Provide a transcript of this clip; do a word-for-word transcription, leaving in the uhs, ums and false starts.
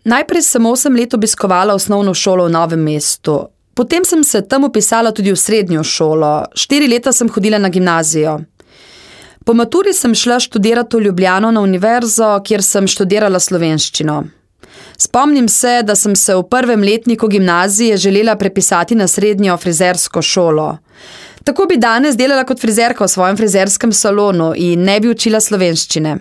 Najprej sem osem let obiskovala osnovno šolo v Novem mestu. Potem sem se tam upisala tudi v srednjo šolo. Štiri leta sem hodila na gimnazijo. Po maturi sem šla študirati v Ljubljano na univerzo, kjer sem študirala slovenščino. Spomnim se, da sem se v prvem letniku gimnazije želela prepisati na srednjo frizersko šolo. Tako bi danes delala kot frizerka v svojem frizerskem salonu in ne bi učila slovenščine.